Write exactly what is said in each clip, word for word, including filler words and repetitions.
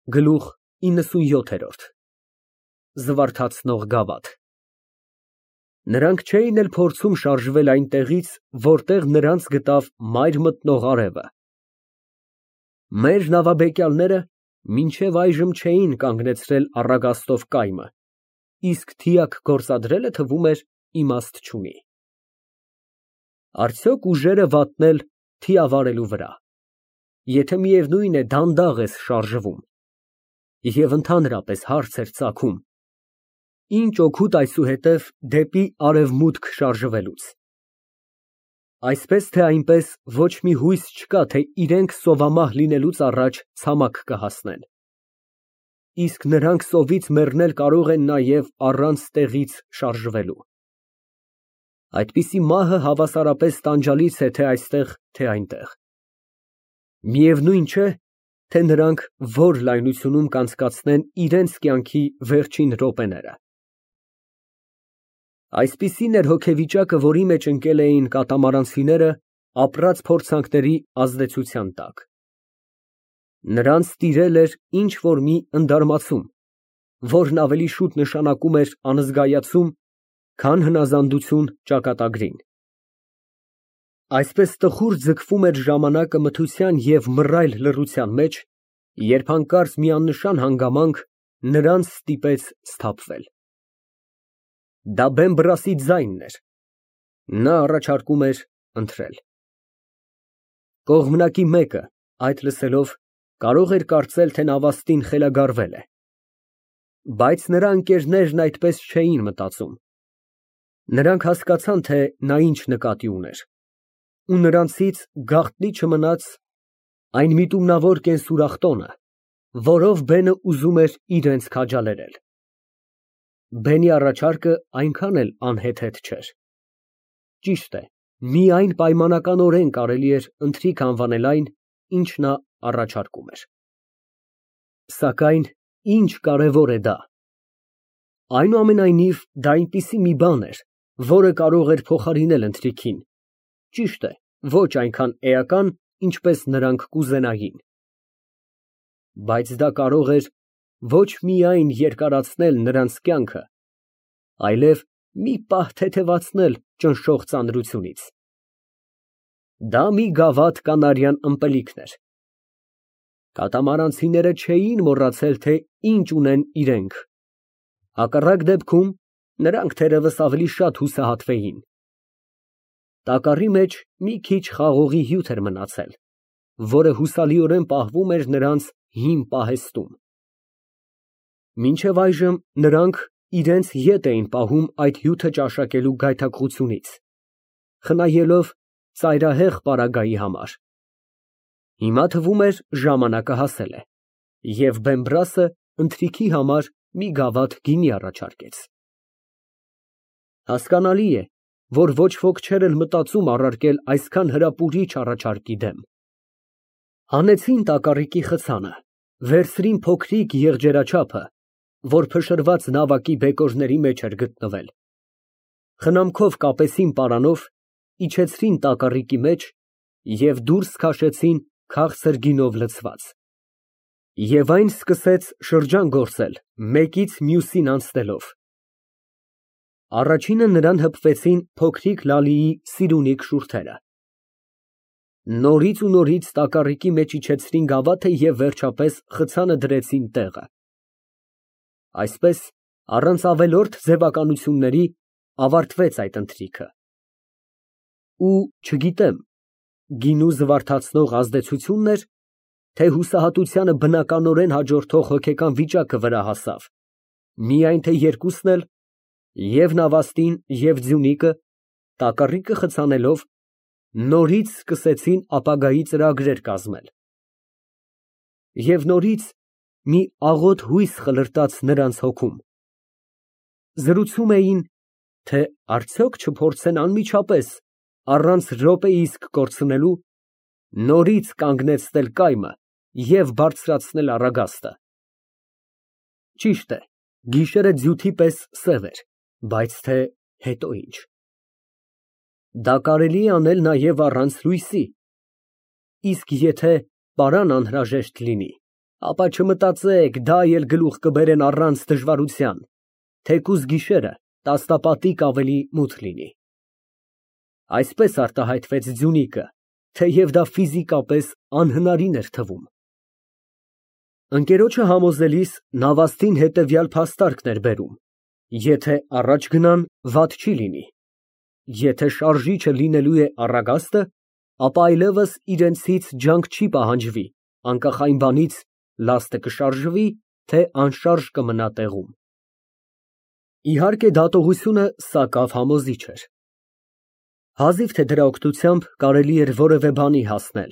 Գլուխ իննսունյոթ Զվարթացնող գավաթ Նրանք չէին էլ փորձում շարժվել այնտեղից, որտեղ նրանց գտավ մայր մտնող արևը։ Մեր նավաբեկյալները մինչև այժմ չէին կանգնեցրել առագաստով կայմը, իսկ թիակ գործադրելը, թվում էր, իմաստ չունի։ Արդյոք ուժերը վատնել թիավարելու վրա, եթե միևնույն է դանդաղ ես շարժվում, և ընդհանրապես հարց էր ծագում. ինչ օգուտ այսուհետև դեպի արևմուտք շարժվելուց։ Այսպես թե այնպես ոչ մի հույս չկա, թե իրենք սովամահ լինելուց առաջ ցամաք կհասնեն։ Իսկ նրանք սովից մեռնել կարող են նաև առանց տեղից շարժվելու։ Այդպիսի մահը հավասարապես տանջալից է թե այստեղ, թե այնտեղ։ Միևնույն չէ, թե նրանք որ լայնությունում կանցկացնեն իրենց կյանքի վերջին րոպեները։ Այսպիսին էր հոգեվիճակը, որի մեջ ընկել էին կատամարանցիները ապրած փորձանքների ազդեցության տակ։ Նրանց տիրել էր ինչ֊որ մի ընդարմացում, որն ավելի շուտ նշանակում էր անզգայացում, քան հնազանդություն ճակատագրին։ Այսպես տխուր ձգվում էր ժամանակը մթության և մռայլ լռության մեջ, երբ հանկարծ մի աննշան հանգամանք նրանց ստիպեց սթափվել։ Դա Բեմբրասի ձայնն էր։ Նա առաջարկում էր ընթրել։ Կողմնակի մեկը, այդ լսելով, կարող էր կարծել, թե նավաստին խելագարվել է։ Բայց նրա ընկերներն այդպես չէին մտածում։ Նրանք հասկացան, թե նա ինչ նկատի ուներ, ու նրանցից գաղտնի չմնաց այն միտումնավոր կենսուրախ տոնը, որով բենը ուզում էր իրենց քաջալերել։ Բենի առաջարկը այնքան էլ անհեթեթ չէր։ Ճիշտ է, միայն պայմանականորեն կարելի էր ընթրիք անվանել այն, ինչ նա առաջարկում էր։ Սակայն ինչ կարևոր է դա։ Այնուամենայնիվ, դա այնպիսի մի բան էր, որը կարող էր փոխարինել ընթրիքին, ճիշտ է, ոչ այնքան էական, ինչպես նրանք կուզենային։ Բայց դա կարող էր ոչ միայն երկարացնել նրանց կյանքը, այլև մի պահ թեթևացնել ճնշող ծանրությունից։ Դա մի գավաթ կանարյան ըմպելիքն էր։ Կատամարանցիները չէին մոռացել, թե ինչ ունեն իրենք։ Հակառակ դեպքում նրանք թերևս ավելի շատ հուսահատվեին։ Տակառի մեջ մի քիչ խաղողի հյութ էր մնացել, որը հուսալիորեն պահվում էր նրանց հին պահեստում։ Մինչև այժմ նրանք իրենց ետ էին պահում այդ հյութը ճաշակելու գայթակղությունից, խնայելով ծայրահեղ պարագայի համար։ Հիմա թվում էր ժամանակը հասել է, և Բեմբրասը ընթրիքի համար մի գավաթ գինի առաջարկեց։ Հասկանալի է, որ ոչ ոք չէր էլ մտածում առարկել այսքան հրապուրիչ առաջարկի դեմ։ Հանեցին տակառիկի խցանը, վերցրին փոքրիկ եղջերաչափը, որ փշրված նավակի բեկորների մեջ էր գտնվել, խնամքով կապեցին պարանով, իջեցրին տակառիկի մեջ և դուրս քաշեցին քաղցր գինով լցված։ Եվ այն սկսեց շրջան գործել, մեկից մյուսին անցնելով։ Առաջինը նրան հպվեցին փոքրիկ Լալիի սիրունիկ շուրթերը։ Նորից ու նորից տակառիկի մեջ իջեցրին գավաթը և վերջապես խցանը դրեցին տեղը։ Այսպես, առանց ավելորդ ձևականությունների, ավարտվեց այդ ընթրիքը։ Ու չգիտեմ, գինու զվարթացնող ազդեցությո՞ւնն էր, թե հուսահատությանը բնականորեն հաջորդող հոգեկան վիճակը վրա հասավ, միայն թե երկուսն էլ, և նավաստին, և ձյունիկը, տակառիկը խցանելով, նորից սկսեցին ապագայի ծրագրեր կազմել։ Եվ նորից մի աղոտ հույս խլրտաց նրանց հոգում։ Զրուցում էին, թե արդյոք չփորձեն անմիջապես, առանց րոպե իսկ կորցնելու, նորից կանգնեցնել կայմը և բարձրացնել առագաստը։ Ճիշտ է, գիշերը ձյութի պես սև էր, բայց թե հետո ինչ։ Դա կարելի է անել նաև առանց լույսի, իսկ եթե պարան անհրաժեշտ լինի, ապա չմտածեք, դա էլ գլուխ կբերեն առանց դժվարության, թեկուզ գիշերը տասնապատիկ ավելի մութ լինի։ Այսպես արտահայտվեց Ձյունիկը, թեև դա ֆիզիկապես անհնարին էր թվում։ Ընկերոջը համոզելիս նավաստին հետևյալ փաստարկն էր բերում. եթե առաջ գնան, վատ չի լինի, եթե շարժիչը լինելու է Առագաստը, ապա այլևս իրենցից ջանք չի պահանջվի, անկախ այն բանից լաստը կշարժվի, թե անշարժ կմնա տեղում։ Իհարկե դատողությունը սակավ համոզիչ էր։ Հազիվ թե դրա օգնությամբ կարելի էր որևէ բանի հասնել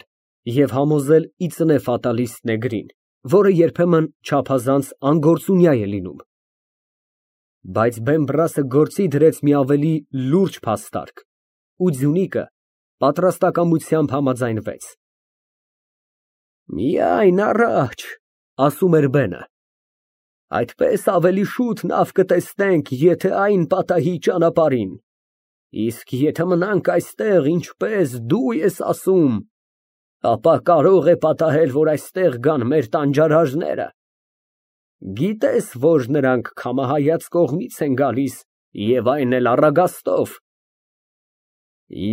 և համոզել ի ծնե ֆատալիստ նեգրին, որը երբեմն չափազանց անգործունյա է լինում։ Բայց Բեմբրասը գործի դրեց մի ավելի լուրջ փաստարկ, ու Ձյունիկը պատրաստակամությամբ համաձայնվեց։ Միայն առաջ, ասում էր բենը, այդպես ավելի շուտ նավ կտեսնենք, եթե այն պատահի ճանապարհին, իսկ եթե մնանք այստեղ, ինչպես դու ես ասում, ապա կարող է պատահել, որ այստեղ գան մեր տանջարարները։ Գիտես, որ նրանք քամահայաց կողմից են գալիս և այն էլ Առագաստով։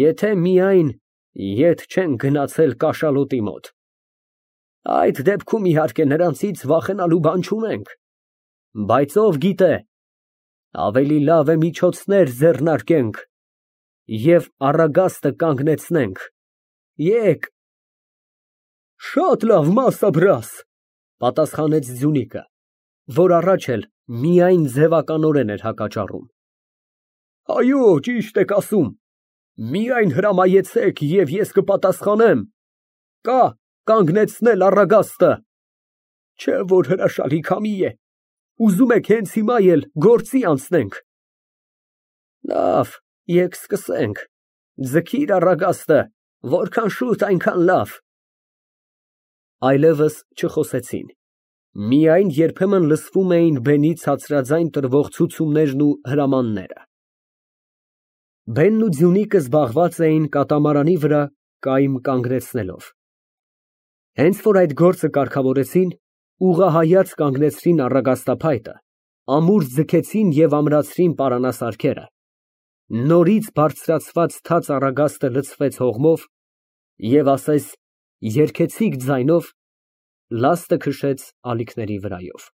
Եթե միայն ետ չեն գնացել կաշալոտի մոտ, այդ դեպքում իհարկե նրանցից վախենալու բան չունենք, բայց ով գիտե, ավելի լավ է միջոցներ ձեռնարկենք և Առագաստը կանգնեցնենք, եկ։ Շատ լավ, մասաբրաս, պատասխանեց Ձյունիկը, որ առաջ էլ միայն ձևականորեն էր հակաճառում։ Այո, ճիշտ եք ասում, միայն հրամայեցեք և ես կպատասխանեմ, կա կանգնեցնել Առագաստը, չէ որ հրաշալի քամի է, ուզում եք հենց հիմա էլ գործի անցնենք։ Լավ, եկ սկսենք, ձգիր Առագաստը, որքան շուտ, այնքան լավ։ Այլևս չխոսեցին, միայն երբեմն լսվում էին բենի ցածրաձայն տրվող ցուցումներն ու հրամանները։ Բենն ու Ձյունիկը զբաղված էին կատամարանի վրա կայմ կանգնեցնելով։ Հենց որ այդ գործը կարգավորեցին, ուղղահայաց կանգնեցրին առագաստափայտը, ամուր ձգեցին և ամրացրին պարանասարքերը, նորից բարձրացված թաց առագաստը լցվեց հողմով և ասես երգեցիկ ձայնով լաստը քշեց ալիքների վրայով։